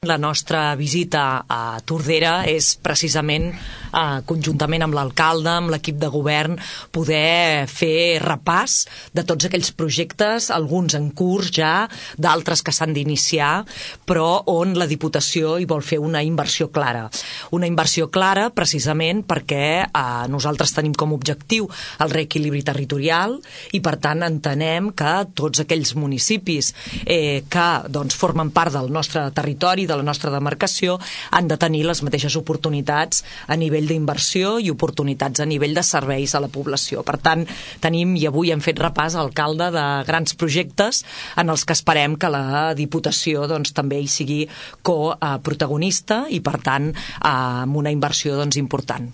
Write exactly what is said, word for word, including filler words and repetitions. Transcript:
La nostra visita a Tordera és precisament, eh, conjuntament amb l'alcalde, amb l'equip de govern, poder fer repàs de tots aquells projectes, alguns en curs ja, d'altres que s'han d'iniciar, però on la Diputació hi vol fer una inversió clara. Una inversió clara precisament perquè eh, nosaltres tenim com a objectiu el reequilibri territorial i per tant entenem que tots aquells municipis eh, que doncs, formen part del nostre territori, de la nostra demarcació, han de tenir les mateixes oportunitats a nivell d'inversió i oportunitats a nivell de serveis a la població. Per tant, tenim, i avui hem fet repàs, alcalde, de grans projectes en els que esperem que la Diputació doncs, també hi sigui coprotagonista i, per tant, amb una inversió doncs, important.